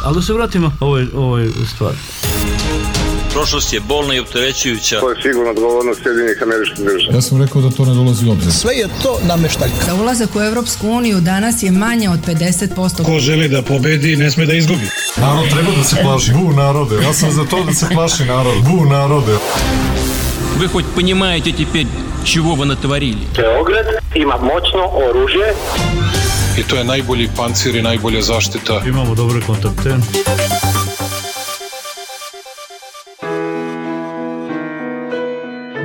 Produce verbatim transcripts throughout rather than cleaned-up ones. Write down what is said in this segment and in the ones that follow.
Ali da se vratimo ovoj, ovoj stvari. Prošlost je bolna i opterećujuća. To je sigurno odgovornost Sjedinjenih Američkih Država. Ja sam rekao da to ne dolazi u obzir. Sve je to nameštaljka. Za ulazak u Evropsku uniju danas je manje od pedeset posto. Ko želi da pobedi, ne sme da izgubi. Narod treba da se plaši. Bu narode. Ja sam za to da se plaši narod. Bu narode. Вы хоть понимаете теперь, чего вы натворили? Beograd ima moćno oružje. I to je najbolji pancir i najbolja zaštita. Imamo dobre kontakte.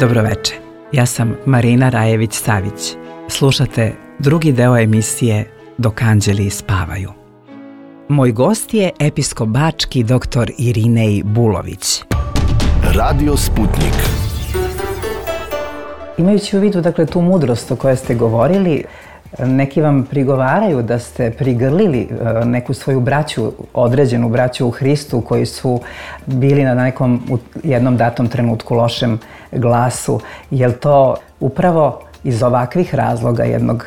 Dobroveče, ja sam Marina Rajević-Savić. Slušate drugi deo emisije Dok anđeli spavaju. Moj gost je episkop bački doktor Irinej Bulović. Radio Sputnik. Imajući u vidu, dakle, tu mudrost o kojoj ste govorili, neki vam prigovaraju da ste prigrlili neku svoju braću, određenu braću u Hristu, koji su bili na nekom u jednom datom trenutku lošem glasu. Je li to upravo iz ovakvih razloga jednog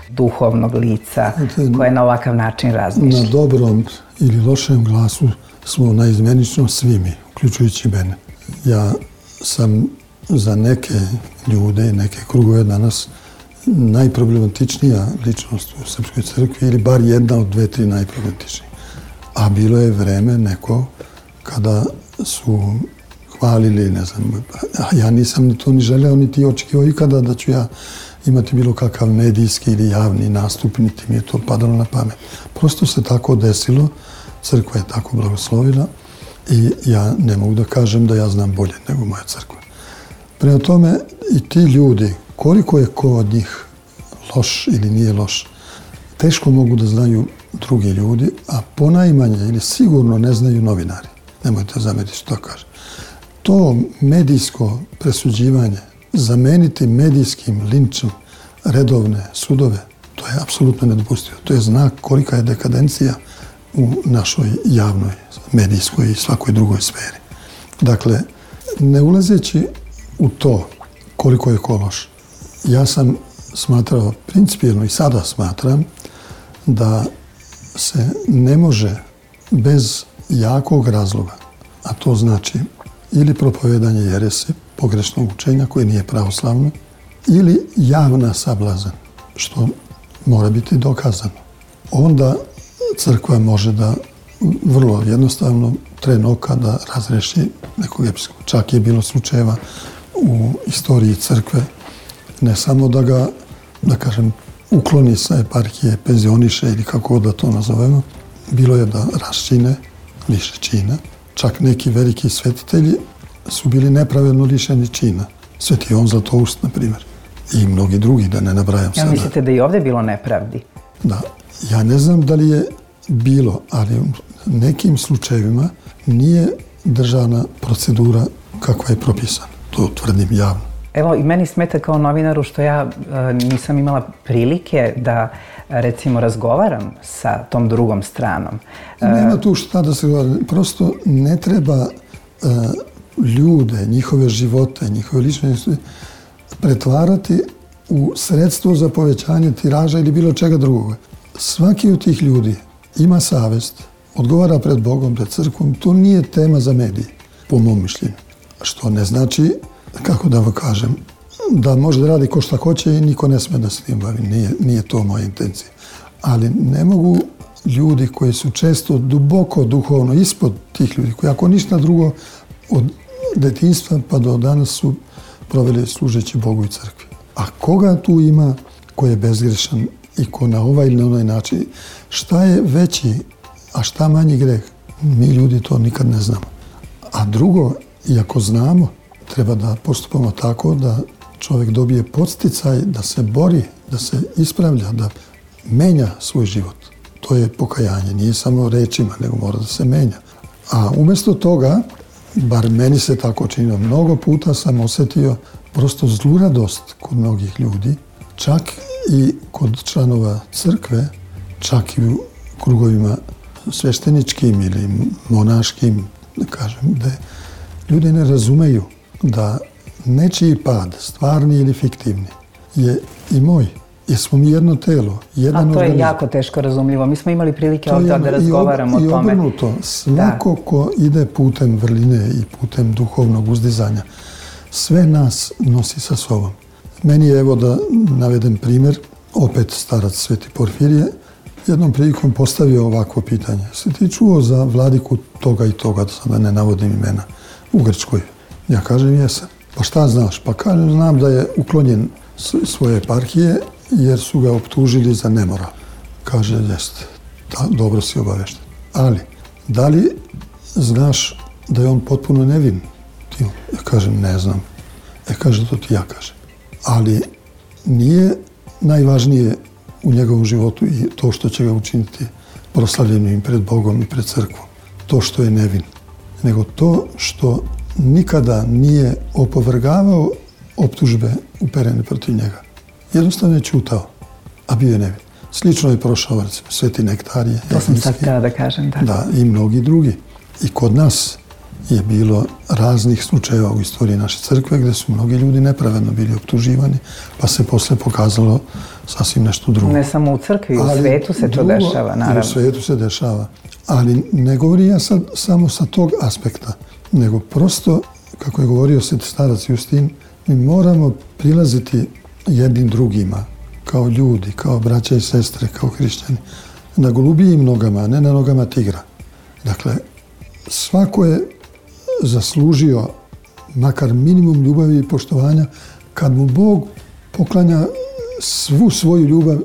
duhovnog lica koje na ovakav način razmišlja? Na dobrom ili lošem glasu smo naizmenično svi mi, uključujući mene. Ja sam za neke ljude, neke krugove danas najproblematičnija ličnost u Srpskoj crkvi ili bar jedna od dve, tri najproblematičnije. A bilo je vreme neko kada su hvalili, ne znam, a ja nisam ni to ni želeo, niti očekivao ikada da ću ja imati bilo kakav medijski ili javni nastup, niti mi je to padalo na pamet. Prosto se tako desilo, crkva je tako blagoslovila i ja ne mogu da kažem da ja znam bolje nego moja crkva. Prema tome i ti ljudi, koliko je ko od njih loš ili nije loš, teško mogu da znaju drugi ljudi, a ponajmanje ili sigurno ne znaju novinari. Nemojte zameriti što kažem. To medijsko presuđivanje, zameniti medijskim linčom redovne sudove, to je apsolutno nedopustivo. To je znak kolika je dekadencija u našoj javnoj, medijskoj i svakoj drugoj sferi. Dakle, ne ulazeći u to koliko je ko loš, ja sam smatrao principijelno i sada smatram da se ne može bez jakog razloga, a to znači ili propovedanje jerese, pogrešnog učenja koje nije pravoslavno, ili javna sablazan, što mora biti dokazano. Onda crkva može da vrlo jednostavno tren oka da razreši nekog episkopa. Čak je bilo slučajeva u istoriji crkve, ne samo da ga, da kažem, ukloni sa eparhije, penzioniše ili kako da to nazovemo, bilo je da raščine više čina. Čak neki veliki svetitelji su bili nepravedno lišeni čina. Sveti Jovan Zlatoust, na primjer, i mnogi drugi, da ne nabrajam sada. Ja mislite da i ovdje bilo nepravdi? Da. Ja ne znam da li je bilo, ali u nekim slučajevima nije državna procedura kakva je propisana. To tvrdim javno. Evo, i meni smeta kao novinaru što ja e, nisam imala prilike da, recimo, razgovaram sa tom drugom stranom. E, Nema tu šta da se govori. Prosto ne treba e, ljude, njihove živote, njihove ličnosti pretvarati u sredstvo za povećanje tiraža ili bilo čega drugoga. Svaki od tih ljudi ima savest, odgovara pred Bogom, pred crkvom. To nije tema za medije, po mom mišljenju. Što ne znači, kako da vam kažem, da može da radi ko šta hoće i niko ne sme da se tim bavi. Nije, nije to moja intencija. Ali ne mogu ljudi koji su često duboko duhovno ispod tih ljudi, koji ako ništa drugo od detinjstva pa do danas su proveli služeći Bogu i crkvi. A koga tu ima ko je bezgrešan i ko na ovaj ili na onaj način, šta je veći, a šta manji greh, mi ljudi to nikad ne znamo. A drugo, iako znamo, treba da postupamo tako da čovjek dobije podsticaj da se bori, da se ispravlja, da menja svoj život. To je pokajanje, nije samo rečima, nego mora da se menja. A umjesto toga, bar meni se tako činilo, mnogo puta sam osjetio prosto zluradost kod mnogih ljudi, čak i kod članova crkve, čak i u krugovima svešteničkim ili monaškim, da kažem, da ljudi ne razumeju da nečiji pad, stvarni ili fiktivni, je i moj jer smo mi jedno telo, jedan organizam. A to je organizam. jako teško razumljivo. Mi smo imali prilike ovdje da razgovaramo i o tome. I obrnuto, svako da. Ko ide putem vrline i putem duhovnog uzdizanja, sve nas nosi sa sobom. Meni je, evo da navedem primjer, opet starac Sveti Porfirije, jednom prilikom postavio ovakvo pitanje. Se ti čuo za vladiku toga i toga, da sada ne navodim imena, u Grčkoj? Ja kažem, jesam. Pa šta znaš? Pa kažem, znam da je uklonjen svoje eparhije jer su ga optužili za nemoral. Kaže, jeste, dobro si obavešten. Ali, da li znaš da je on potpuno nevin? Ja kažem, ne znam. E, kaže, to ti ja kažem. Ali nije najvažnije u njegovom životu i to što će ga učiniti proslavljenim pred Bogom i pred crkvom. To što je nevin. Nego to što nikada nije opovrgavao optužbe uperene protiv njega. Jednostavno je ćutao, a bio je nevin. Slično je prošao, recimo, Sveti Nektarije. To sam sad htjela da kažem, da. Da, i mnogi drugi. I kod nas je bilo raznih slučajeva u istoriji naše crkve gdje su mnogi ljudi nepravedno bili optuživani, pa se posle pokazalo sasvim nešto drugo. Ne samo u crkvi, u svetu se to dešava, naravno. I u svetu se dešava. Ali ne govorim ja sad samo sa tog aspekta, nego prosto, kako je govorio sveti starac Justin, mi moramo prilaziti jednim drugima, kao ljudi, kao braća i sestre, kao hrišćani, na golubijim nogama, a ne na nogama tigra. Dakle, svako je zaslužio makar minimum ljubavi i poštovanja kad mu Bog poklanja svu svoju ljubav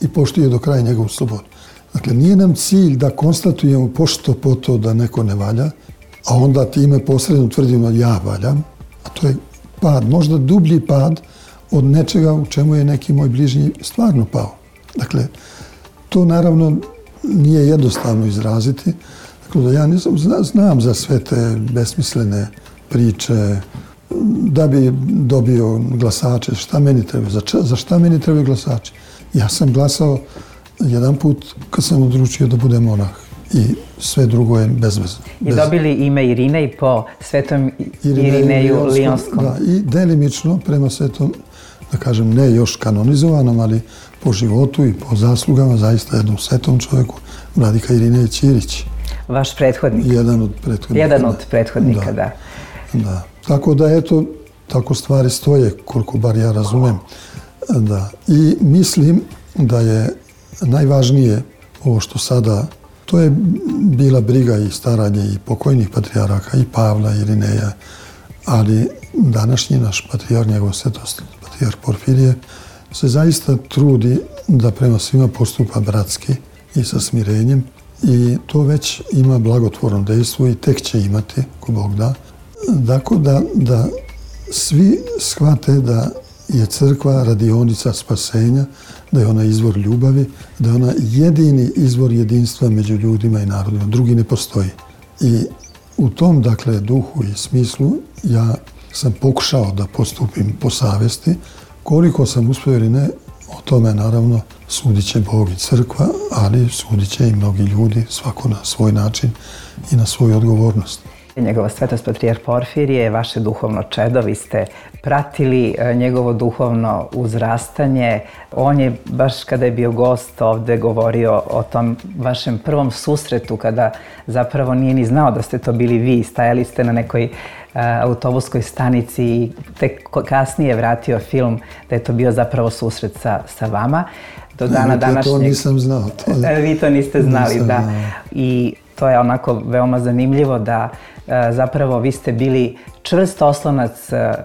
i poštuje do kraja njegovu slobodu. Dakle, nije nam cilj da konstatujemo pošto po to da neko ne valja, a onda time posredno tvrdimo ja valjam, a to je pad, možda dublji pad od nečega u čemu je neki moj bližnji stvarno pao. Dakle, to naravno nije jednostavno izraziti. Dakle, da ja nisam, znam za sve te besmislene priče, da bi dobio glasače, šta meni treba, za, za šta meni trebaju glasači. Ja sam glasao jedan put kad sam odlučio da budem monah i sve drugo je bezvezno. I dobili ime Irine i po svetom Irineju Lijonskom. Da, i delimično prema svetom, da kažem, ne još kanonizovanom, ali po životu i po zaslugama zaista jednom svetom čovjeku, vladika Irinej Ćirić. Vaš prethodnik. Jedan od prethodnika. Jedan od prethodnika, da. Da. da. Tako da, eto, tako stvari stoje, koliko bar ja razumem. Da. I mislim da je najvažnije ovo što sada, to je bila briga i staranje i pokojnih patrijaraka, i Pavla, i Irineja, ali današnji naš patrijar, njegov svetost, patrijar Porfirije, se zaista trudi da prema svima postupa bratski i sa smirenjem i to već ima blagotvorno dejstvo i tek će imati, ko Bog da. Dakle, da, da svi shvate da je crkva radionica spasenja, da je ona izvor ljubavi, da je ona jedini izvor jedinstva među ljudima i narodima. Drugi ne postoji. I u tom, dakle, duhu i smislu ja sam pokušao da postupim po savjesti. Koliko sam uspio ili ne, o tome naravno sudit će Bog i crkva, ali sudit će i mnogi ljudi, svako na svoj način i na svoju odgovornost. Njegova svetost patrijar Porfirije je vaše duhovno čedo, vi ste pratili njegovo duhovno uzrastanje. On je, baš kada je bio gost ovde, govorio o tom vašem prvom susretu, kada zapravo nije ni znao da ste to bili vi. Stajali ste na nekoj uh, autobuskoj stanici i tek kasnije vratio film da je to bio zapravo susret sa, sa vama. Do dana današnjeg... To nisam znao. To je... Vi to niste znali, nisam, da. I to je onako veoma zanimljivo da zapravo vi ste bili čvrst oslonac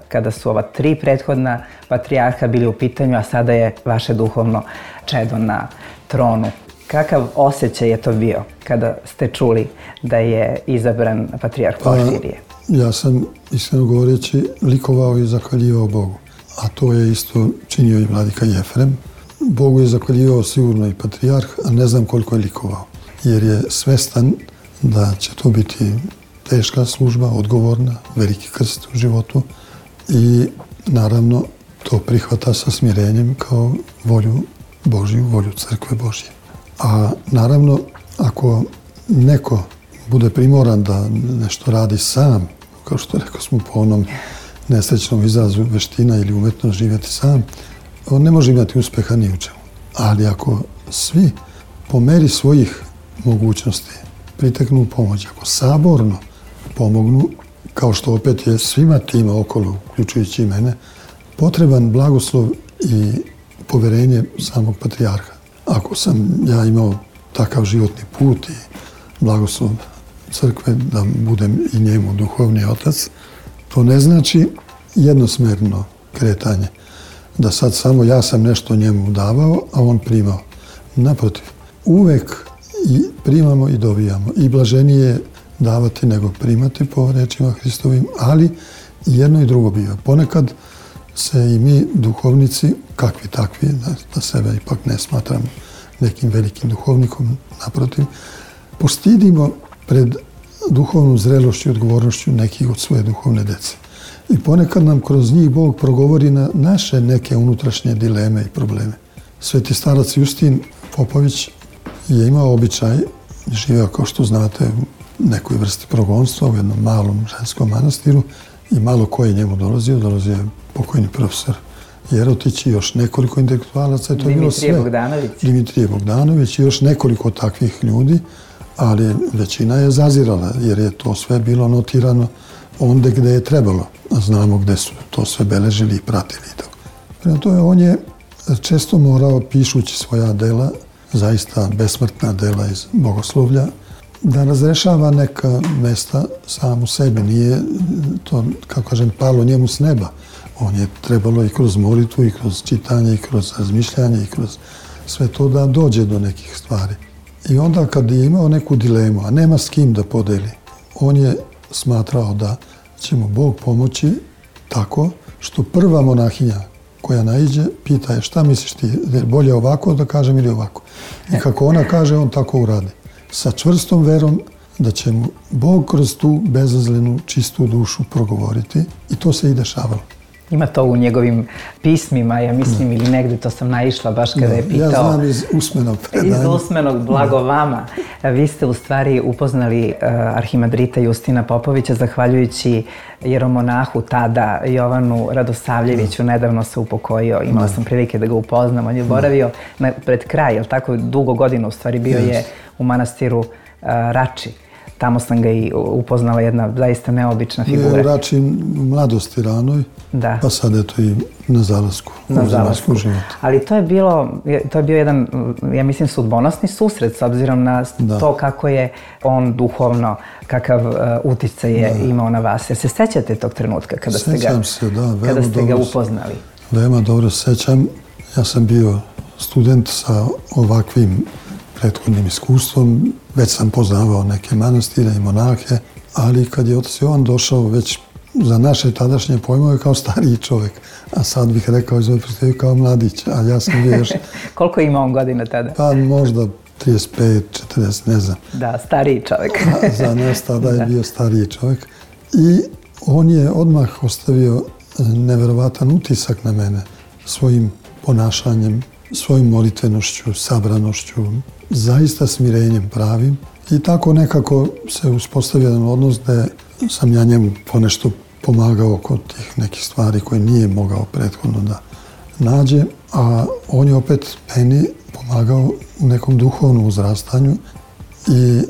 kada su ova tri prethodna patrijarha bili u pitanju, a sada je vaše duhovno čedo na tronu. Kakav osjećaj je to bio kada ste čuli da je izabran patrijarh Porfirije? Pa, ja sam, iskreno govoreći, likovao i zahvaljivao Bogu. A to je isto činio i vladika Jefrem. Bogu je zahvaljivao sigurno i patrijarh, a ne znam koliko je likovao. Jer je svestan da će to biti teška služba, odgovorna, veliki krst u životu i naravno to prihvata sa smirenjem kao volju Božju, volju crkve Božje. A naravno, ako neko bude primoran da nešto radi sam, kao što rekao smo po onom nesrećnom izrazu veština ili umetnost živjeti sam, on ne može imati uspeha ni u čemu. Ali ako svi po meri svojih mogućnosti priteknu u pomoć, ako saborno pomognu, kao što opet je svima tima okolo, uključujući i mene, potreban blagoslov i poverenje samog patrijarha. Ako sam ja imao takav životni put i blagoslov crkve da budem i njemu duhovni otac, to ne znači jednosmerno kretanje. Da sad samo ja sam nešto njemu davao, a on primao. Naprotiv, uvek i primamo i dobijamo. I blaženije je davati nego primati po rečima Hristovim, ali i jedno i drugo biva. Ponekad se i mi duhovnici, kakvi takvi, da, da sebe ipak ne smatram nekim velikim duhovnikom, naprotiv, postidimo pred duhovnom zrelošću i odgovornošću nekih od svoje duhovne dece. I ponekad nam kroz njih Bog progovori na naše neke unutrašnje dileme i probleme. Sveti starac Justin Popović je imao običaj, živeo kao što znate u nekoj vrsti progonstva u jednom malom ženskom manastiru i malo ko je njemu dolazio, dolazio je pokojni profesor Jerotić i još nekoliko intelektualaca. To je bilo sve. Bogdanović. Dimitrije Bogdanović i još nekoliko takvih ljudi, ali većina je zazirala jer je to sve bilo notirano onde gde je trebalo. Znamo gde su to sve beležili i pratili. Prema tome, on je često morao, pišući svoja dela, zaista besmrtna dela iz bogoslovlja, da razrešava neka mesta sam u sebi. Nije to, kako kažem, palo njemu s neba. On je trebalo i kroz molitvu, i kroz čitanje, i kroz razmišljanje, i kroz sve to da dođe do nekih stvari. I onda kad je imao neku dilemu, a nema s kim da podeli, on je smatrao da će mu Bog pomoći tako što prva monahinja koja naiđe pita je šta misliš ti, je bolje ovako da kažem ili ovako. I kako ona kaže, on tako uradi. Sa čvrstom verom da će mu Bog kroz tu bezazlenu, čistu dušu progovoriti i to se i dešavalo. Ima to u njegovim pismima, ja mislim, ili negdje, to sam naišla baš kada je pitao... Ja znam iz usmenog predanja. Iz usmenog, blago vama. Vi ste u stvari upoznali arhimandrita Justina Popovića zahvaljujući jeromonahu tada, Jovanu Radosavljeviću, nedavno se upokojio, imala sam prilike da ga upoznam, on je boravio pred kraj, jel tako, dugo godina u stvari bio je u manastiru Rači. Tamo sam ga i upoznala, jedna zaista neobična figura. Je u Rači mladosti ranoj, da. Pa sad eto i na zalasku. Na zalasku. Ali to je bilo, to je bio jedan, ja mislim, sudbonosni susret s obzirom na da. To kako je on duhovno, kakav uh, uticaj je da. Imao na vas. Jer se sećate tog trenutka kada ste ga, se, da, kada ste ga upoznali? Veoma dobro se sećam. Ja sam bio student sa ovakvim prethodnim iskustvom. Već sam poznavao neke manastire i monahe, ali kad je otac Jovan došao već za naše tadašnje pojmove kao stariji čovjek, a sad bih rekao iz ove perspektive kao mladić, a ja sam bio još... Koliko ima on godina tada? Pa možda trideset pet, četrdeset, ne znam. Da, stariji čovjek. Za nas tada je bio stariji čovjek. I on je odmah ostavio neverovatan utisak na mene svojim ponašanjem, svojim molitvenošću, sabranošću, zaista smirenjem pravim. I tako nekako se uspostavio jedan odnos da sam ja njemu ponešto pomagao kod tih nekih stvari koje nije mogao prethodno da nađe, a on je opet meni pomagao u nekom duhovnom uzrastanju i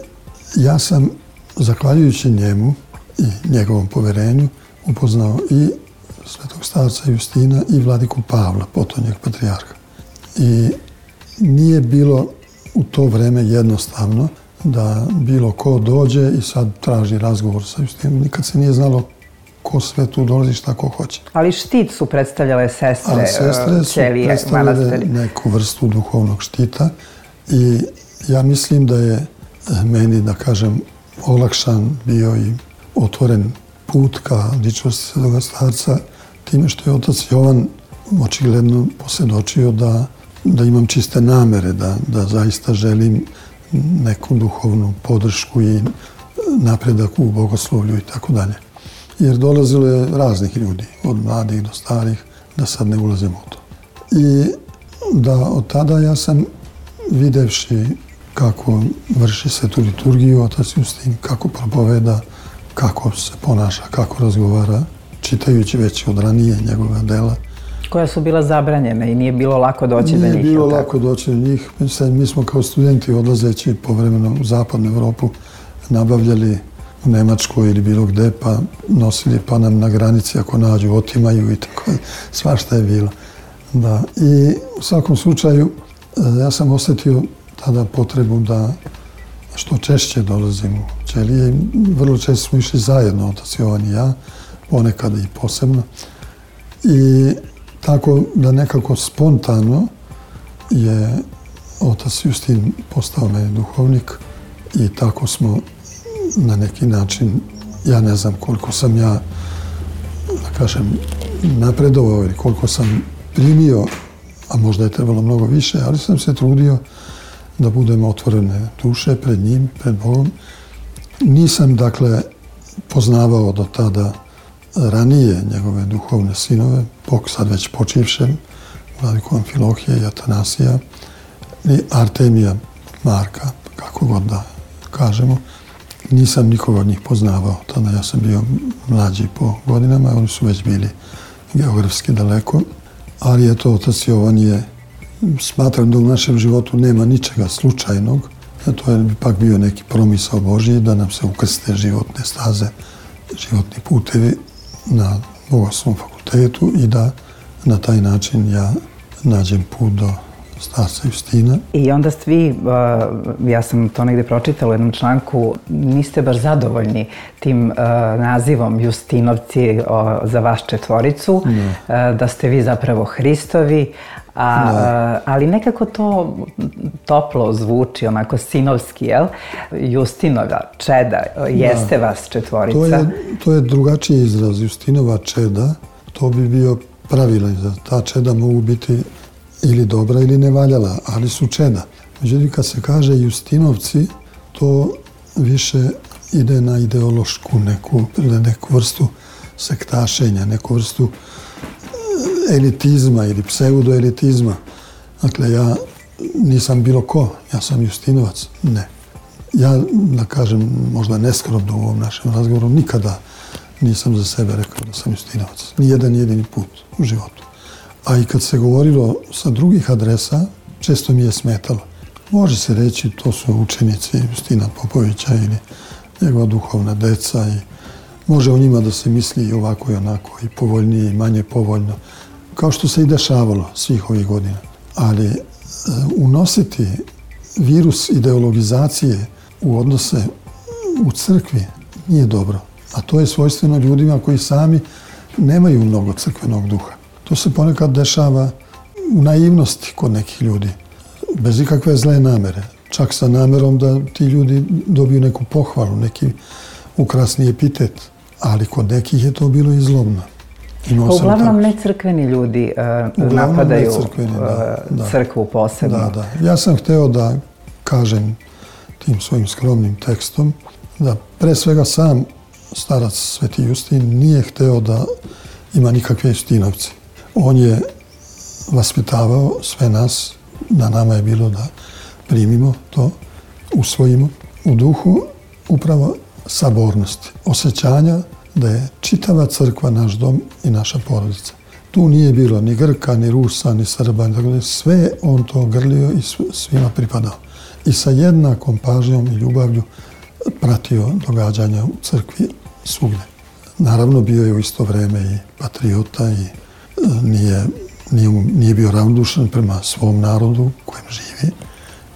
ja sam, zahvaljujući njemu i njegovom poverenju, upoznao i svetog starca Justina i vladiku Pavla, potonjeg patrijarha. I nije bilo u to vreme jednostavno da bilo ko dođe i sad traži razgovor sa Justinom. Nikad se nije znalo ko sve tu dolazi, šta ko hoće. Ali štit su predstavljale sestre, A sestre su ćelije, predstavljale manastiri. Neku vrstu duhovnog štita i ja mislim da je meni, da kažem, olakšan bio i otvoren put ka ličnosti svetoga starca time što je otac Jovan očigledno posvjedočio da, da imam čiste namere, da, da zaista želim neku duhovnu podršku i napredak u bogoslovlju i tako dalje. Jer dolazilo je raznih ljudi, od mladih do starih, da sad ne ulazimo u to. I da od tada ja sam videvši kako vrši svetu liturgiju otac Justin, kako propoveda, kako se ponaša, kako razgovara, čitajući već od ranije njegova dela, Koja su bila zabranjena i nije bilo lako doći do njih. Nije bilo lako doći do njih. Mi smo kao studenti odlazeći povremeno u zapadnu Evropu nabavljali u Nemačkoj ili bilo gde, pa nosili, pa nam na granici ako nađu otimaju i tako. Svašta je bilo. Da. I u svakom slučaju ja sam osjetio tada potrebu da što češće dolazim u ćelije. Vrlo često smo išli zajedno, otac Jovan i ja, ponekad i posebno. I tako da nekako spontano je otac Justin postao meni duhovnik i tako smo na neki način, ja ne znam koliko sam ja, da kažem, napredovao ili koliko sam primio, a možda je trebalo mnogo više, ali sam se trudio da budemo otvorene duše pred njim, pred Bogom. Nisam, dakle, poznavao do tada ranije njegove duhovne sinove, sad već počivšem, vladiku Amfilohije i Atanasija, i Artemija Marka, kako god da kažemo. Nisam nikoga od njih poznavao, tada ja sam bio mlađi po godinama, oni su već bili geografski daleko, ali eto, otac Jovan je, smatram da u našem životu nema ničega slučajnog, to je ipak bio neki promisao Božji da nam se ukrste životne staze, životni putevi na Bogoslovnom fakultetu i da na taj način ja nađem put do starca Justina. I onda ste vi, ja sam to negde pročitala u jednom članku, niste baš zadovoljni tim nazivom Justinovci za vaš četvoricu, da ste vi zapravo Hristovi, A, ali nekako to toplo zvuči, onako sinovski, jel? Justinova čeda, jeste vas četvorica. To je, to je drugačiji izraz, Justinova čeda, to bi bio pravilan izraz. Ta čeda mogu biti ili dobra ili nevaljala, ali su čeda. Međutim, kad se kaže Justinovci, to više ide na ideološku neku, neku vrstu sektašenja, neku vrstu elitizma ili pseudoelitizma. Dakle, ja nisam bilo ko, ja sam Justinovac. Ne. Ja, da kažem, možda neskromno u ovom našem razgovoru, nikada nisam za sebe rekao da sam Justinovac. Nijedan jedini put u životu. A i kad se govorilo sa drugih adresa, često mi je smetalo. Može se reći, to su učenici Justina Popovića ili njegova duhovna deca i može o njima da se misli i ovako i onako, i povoljnije i manje povoljno, kao što se i dešavalo svih ovih godina. Ali e, unositi virus ideologizacije u odnose u crkvi nije dobro. A to je svojstveno ljudima koji sami nemaju mnogo crkvenog duha. To se ponekad dešava u naivnosti kod nekih ljudi, bez ikakve zle namere. Čak sa namerom da ti ljudi dobiju neku pohvalu, neki ukrasni epitet. Ali kod nekih je to bilo i zlobno. Pa uglavnom necrkveni ljudi uh, napadaju da, da. crkvu posebno. Da, da. Ja sam hteo da kažem tim svojim skromnim tekstom da pre svega sam starac Sveti Justin nije hteo da ima nikakve Justinovce. On je vaspitavao sve nas, na nama je bilo da primimo to, usvojimo u duhu upravo sabornosti, osjećanja da je čitava crkva naš dom i naša porodica. Tu nije bilo ni Grka, ni Rusa, ni Srba, sve on to grlio i svima pripadao. I sa jednakom pažnjom i ljubavlju pratio događanja u crkvi svugdje. Naravno, bio je u isto vreme i patriota i nije, nije, nije bio ravnodušan prema svom narodu kojem živi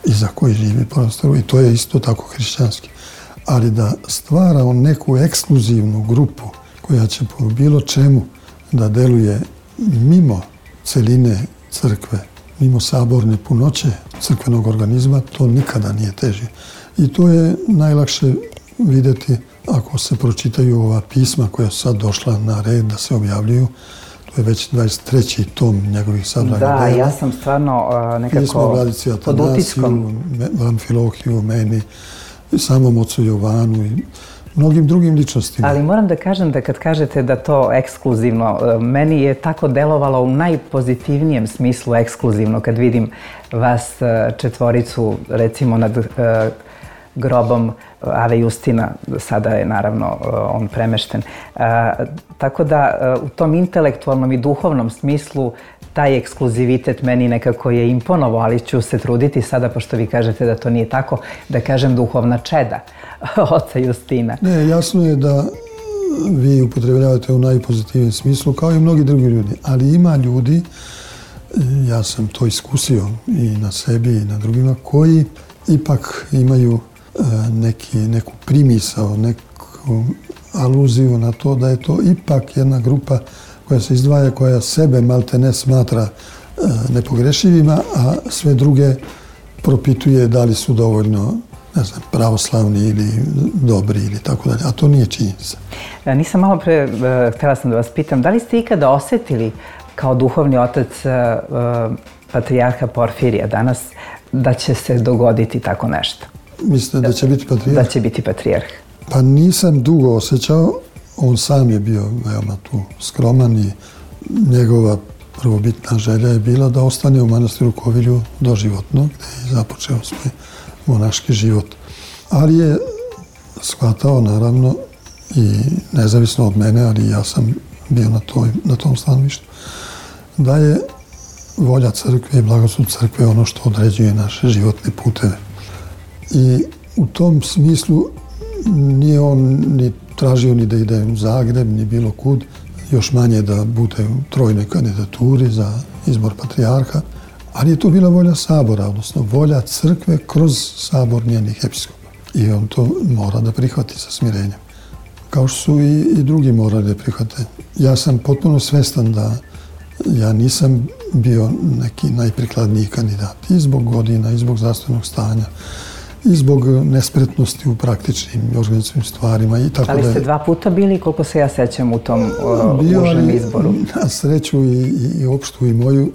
i za koji živi prostoru. I to je isto tako hrišćanski. Ali da stvara on neku ekskluzivnu grupu koja će po bilo čemu da deluje mimo celine crkve, mimo saborne punoće crkvenog organizma, to nikada nije teže. I to je najlakše vidjeti ako se pročitaju ova pisma koja su sad došla na red da se objavljuju. To je već dvadeset treći tom njegovih sabranih dela. Da, ja sam stvarno uh, nekako pod utiskom. Amfilohiju, meni, samom ocu Jovanu i mnogim drugim ličnostima. Ali moram da kažem da kad kažete da to ekskluzivno, meni je tako delovalo u najpozitivnijem smislu ekskluzivno kad vidim vas četvoricu recimo nad grobom Ave Justina, sada je naravno on premešten. Tako da u tom intelektualnom i duhovnom smislu taj ekskluzivitet meni nekako je imponovao, ali ću se truditi sada, pošto vi kažete da to nije tako, da kažem duhovna čeda oca Justina. Ne, jasno je da vi upotrebljavate u najpozitivnijem smislu, kao i mnogi drugi ljudi, ali ima ljudi, ja sam to iskusio i na sebi i na drugima, koji ipak imaju neki, neku primisao, neku aluziju na to da je to ipak jedna grupa koja se izdvaja, koja sebe malte ne smatra nepogrešivima, a sve druge propituje da li su dovoljno, ne znam, pravoslavni ili dobri ili tako dalje, a to nije činjenica. Nisam malo pre, htjela sam da vas pitam, da li ste ikada osjetili kao duhovni otac patrijarha Porfirija danas da će se dogoditi tako nešto? Mislite da će biti patrijarh? Da će biti patrijarh. Pa nisam dugo osjećao, on sam je bio veoma tu skroman i njegova prvobitna želja je bila da ostane u manastiru Kovilju doživotno, gdje je započeo svoj monaški život. Ali je shvatao, naravno, i nezavisno od mene, ali ja sam bio na, toj, na tom stanovištu, da je volja crkve i blagoslov crkve ono što određuje naše životne puteve. I u tom smislu nije on ni tražio ni da ide u Zagreb, ni bilo kud, još manje da bude u trojnoj kandidaturi za izbor patrijarha, ali je to bila volja sabora, odnosno volja crkve kroz sabor njenih episkopa. I on to mora da prihvati sa smirenjem. Kao što su i, i drugi morali da prihvate. Ja sam potpuno svestan da ja nisam bio neki najprikladniji kandidat. I zbog godina, i zbog zdravstvenog stanja, i zbog nespretnosti u praktičnim i organizacijnim stvarima i tako da. Ali ste dva puta bili, koliko se ja sećam, u tom uh, bio, užem izboru? Na sreću i, i, i opštu i moju,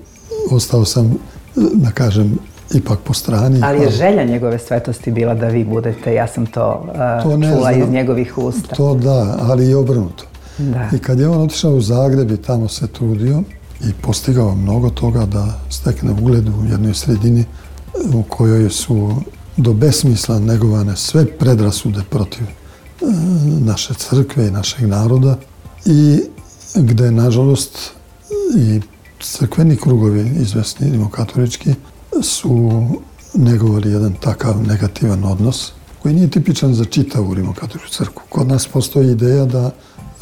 ostao sam, da kažem, ipak po strani. Ali je želja njegove svetosti bila da vi budete, ja sam to, uh, to čula znam, iz njegovih usta. To da, ali i obrnuto. Da. I kad je on otišao u Zagreb i tamo se trudio i postigao mnogo toga da stekne ugled u jednoj sredini u kojoj su do besmisla negovane sve predrasude protiv e, naše crkve i našeg naroda i gde, nažalost, i crkveni krugovi, izvesni rimokatolički, su negovali jedan takav negativan odnos koji nije tipičan za čitavu rimokatoličku crkvu. Kod nas postoji ideja da,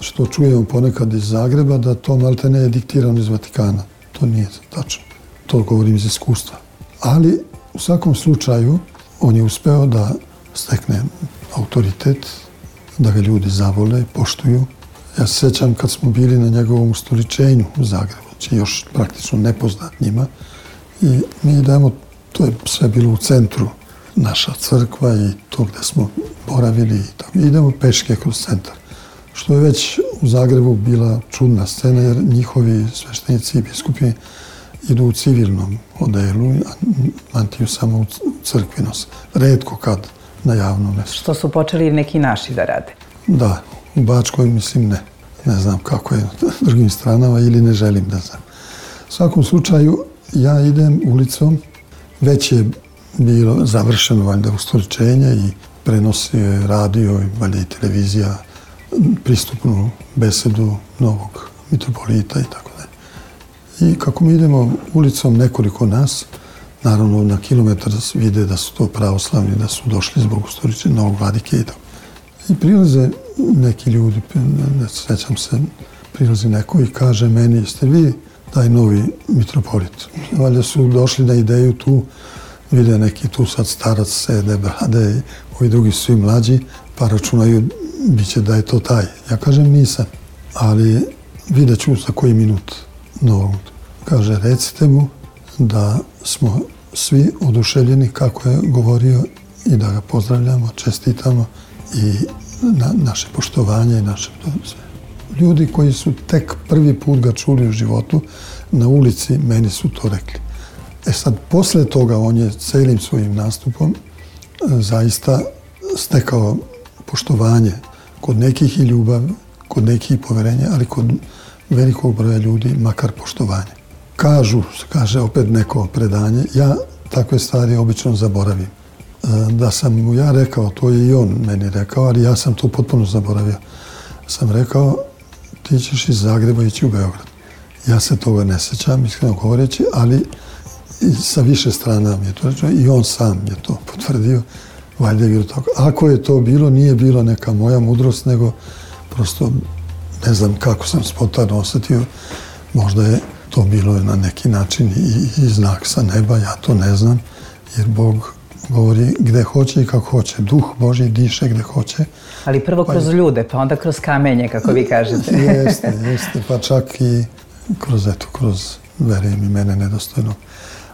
što čujemo ponekad iz Zagreba, da to malte ne je diktirano iz Vatikana. To nije tačno. To govorim iz iskustva. Ali, u svakom slučaju, on je uspeo da stekne autoritet, da ga ljudi zavole, poštuju. Ja se sjećam kad smo bili na njegovom ustoličenju u Zagrebu, znači još praktično nepoznat njima. I mi idemo, to je sve bilo u centru, naša crkva i to gde smo boravili i tako. Idemo peške kroz centar. Što je već u Zagrebu bila čudna scena, jer njihovi sveštenici i biskupi idu u civilnom odelu, a mantiju samo u crkvi nose. Retko kad na javnom mjestu. Što su počeli neki naši da rade? Da, u Bačkoj mislim ne. Ne znam kako je na drugim stranama ili ne želim da znam. U svakom slučaju, ja idem ulicom, već je bilo završeno valjda ustoličenje i prenosio radio i valjda i televizija pristupnu besedu novog mitropolita i tako dalje. I kako mi idemo ulicom, nekoliko nas, naravno na kilometar vide da su to pravoslavni, da su došli zbog ustoličenja novog vladike i tako. I prilaze neki ljudi, ne sjećam se, prilazi neko i kaže meni, jeste vi taj novi mitropolit? Valjda su došli na ideju tu, vide neki tu sad starac sede, brade, ovi drugi su i mlađi, pa računaju, bit će da je to taj. Ja kažem nisam, ali vidjet ću za koji minut novog. Kaže, recite mu da smo svi oduševljeni kako je govorio i da ga pozdravljamo, čestitamo i na, naše poštovanje i naše sve. Ljudi koji su tek prvi put ga čuli u životu, na ulici meni su to rekli. E sad, posle toga on je celim svojim nastupom zaista stekao poštovanje kod nekih i ljubav, kod nekih i poverenja, ali kod velikog broja ljudi makar poštovanje. Kažu, kaže opet neko predanje, ja takve stvari obično zaboravim. da sam mu ja rekao, to je i on meni rekao, ali ja sam to potpuno zaboravio. Sam rekao, ti ćeš iz Zagreba ići u Beograd. Ja se toga ne sjećam, iskreno govoreći, ali sa više strana mi je to rečeno i on sam je to potvrdio. Valjda je bilo tako. Ako je to bilo, nije bilo neka moja mudrost, nego prosto ne znam kako sam spontano osjetio. Možda je to bilo na neki način i, i znak sa neba, ja to ne znam, jer Bog govori gde hoće i kako hoće. Duh Božji diše gde hoće. Ali prvo kroz pa, ljude, pa onda kroz kamenje, kako vi kažete. Jeste, jeste, pa čak i kroz, eto, kroz, verujem i mene nedostojno.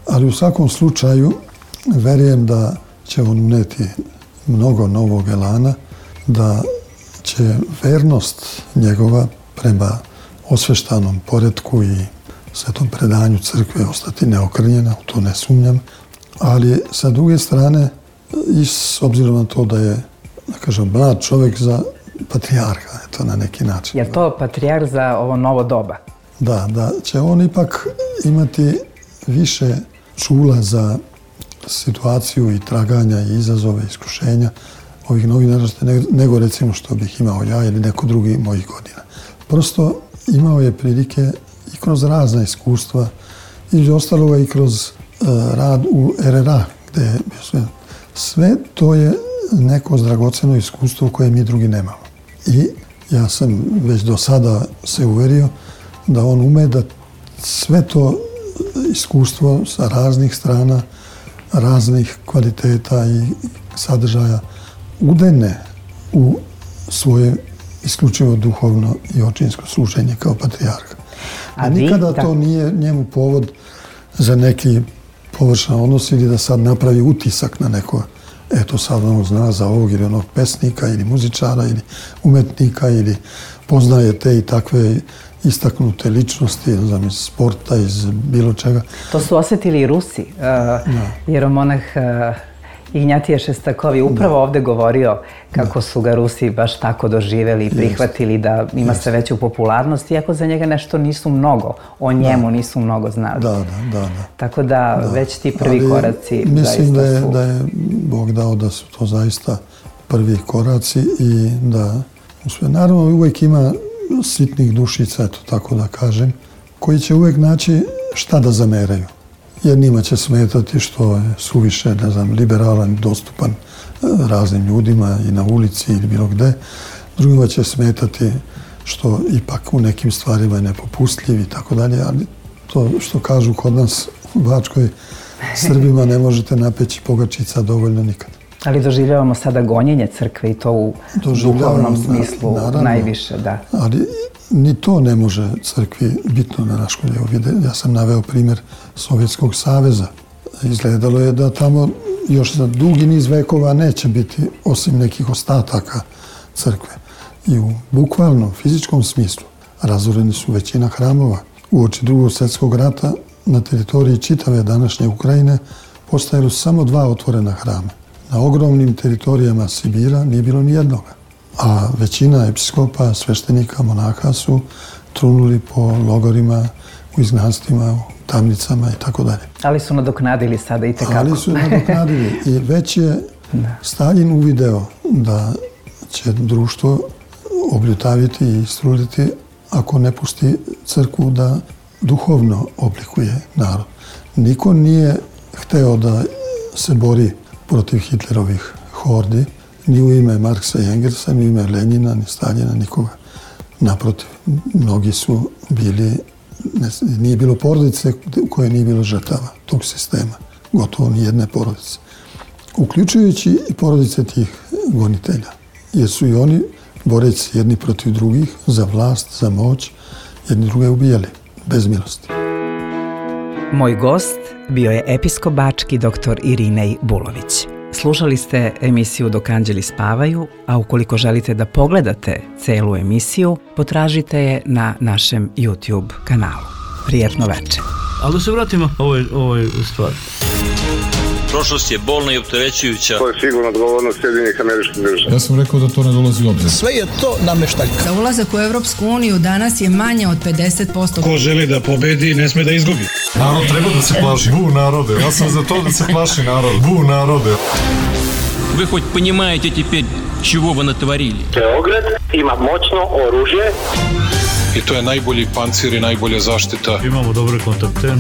Ali u svakom slučaju, verujem da će on uneti mnogo novog elana, da će vernost njegova prema osveštanom poretku i svetom predanju crkve ostati neokrnjena, u to ne sumnjam. Ali sa druge strane, i s obzirom na to da je, da kažem, mlad čovjek za patrijarha, eto, na neki način. Je to patrijarh za ovo novo doba? Da, da će on ipak imati više čula za situaciju i traganja i izazove, iskušenja ovih novih naraštaja, nego recimo što bih imao ja ili neko drugi mojih godina. Prosto imao je prilike i kroz razna iskustva, između ostaloga i kroz uh, rad u R R A, gde je bio sve. Sve to je neko dragoceno iskustvo koje mi drugi nemamo. I ja sam već do sada se uverio da on ume da sve to iskustvo sa raznih strana, raznih kvaliteta i sadržaja udene u svoje isključivo duhovno i očinsko služenje kao patrijarha. A nikada to nije njemu povod za neki površan odnos ili da sad napravi utisak na neko, eto sad on zna za ovog ili onog pesnika ili muzičara ili umetnika ili poznaje te i takve istaknute ličnosti, znam, iz sporta, iz bilo čega. To su osjetili i Rusi. Uh, jeromonah uh, Ignjatije Šestakovi upravo da. ovdje govorio kako da. su ga Rusi baš tako doživjeli i prihvatili da ima sve veću popularnost, iako za njega nešto nisu mnogo, o njemu da. nisu mnogo znali. Da, da, da, da. Tako da, da već ti prvi Ali koraci mislim zaista da je, su... da je Bog dao da su to zaista prvi koraci i da sve. Naravno, uvijek ima sitnih dušica, eto tako da kažem, koji će uvijek naći šta da zameraju. Jednima će smetati što je suviše, ne znam, liberalan, dostupan raznim ljudima i na ulici ili bilo gde. Drugima će smetati što ipak u nekim stvarima je nepopustljiv i tako dalje, ali to što kažu kod nas u Bačkoj, Srbima ne možete napeći pogačica dovoljno nikad. Ali doživljavamo sada gonjenje crkve i to u duhovnom smislu naravno, najviše, da. Ali ni to ne može crkvi bitno da naškodje. Ja sam naveo primjer Sovjetskog saveza. Izgledalo je da tamo još za dugi niz vekova neće biti osim nekih ostataka crkve. I u bukvalnom fizičkom smislu razoreni su većina hramova. Uoči Drugog svjetskog rata na teritoriji čitave današnje Ukrajine postojali su samo dva otvorena hrama. Na ogromnim teritorijama Sibira nije bilo ni jednoga. A većina episkopa, sveštenika, monaha su trunuli po logorima, u izgnanstvima, u tamnicama i tako dalje. Ali su nadoknadili sada i tekako. Ali su nadoknadili i već je Staljin uvideo da će društvo obljutaviti i istruliti ako ne pusti crkvu da duhovno oblikuje narod. Niko nije hteo da se bori protiv Hitlerovih hordi, ni u ime Marksa i Engelsa, ni u ime Lenjina, ni Staljina, nikoga. Naprotiv, mnogi su bili, ne, nije bilo porodice u kojoj nije bilo žrtava tog sistema, gotovo ni jedne porodice. Uključujući i porodice tih gonitelja, jer su i oni, boreći jedni protiv drugih, za vlast, za moć, jedni druge ubijali, bez milosti. Moj gost bio je episkop bački doktor Irinej Bulović. Slušali ste emisiju Dok anđeli spavaju, a ukoliko želite da pogledate celu emisiju, potražite je na našem YouTube kanalu. Prijetno večer. Ali da se vratimo ovoj, ovoj stvari. Prošlost je bolna i opterećujuća. To je sigurno odgovornost Sjedinjenih Američkih Država. Ja sam rekao da to ne dolazi u obzir. Sve je to nameštaljka. Za ulazak u Evropsku uniju danas je manje od pedeset posto. Ko želi da pobedi, ne sme da izgubi. Narod treba da se plaši. Bu narode. Ja sam za to da se plaši narod. Bu narode. Вы хоть понимаете теперь, чего вы натворили? Beograd ima moćno oružje I to je najbolji pancir i najbolja zaštita. Imamo dobre kontakte.